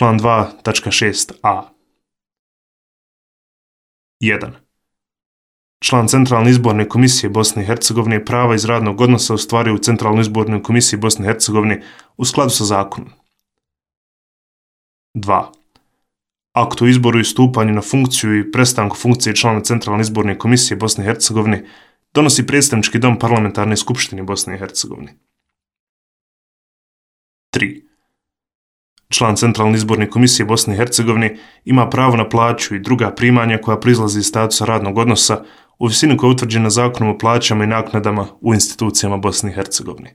Član 2.6a. 1. Član Centralne izborne komisije Bosne i Hercegovine prava iz radnog odnosa ostvaruje u Centralnoj izbornoj komisiji Bosne i Hercegovine u skladu sa zakonom. 2. Akt o izboru i stupanju na funkciju i prestanku funkcije člana Centralne izborne komisije Bosne i Hercegovine donosi predstavnički dom Parlamentarne skupštine Bosne i Hercegovine. 3. Član Centralne izborne komisije Bosne i Hercegovine ima pravo na plaću i druga primanja koja proizlaze iz statusa radnog odnosa u visini koja je utvrđena Zakonom o plaćama i naknadama u institucijama Bosne i Hercegovine.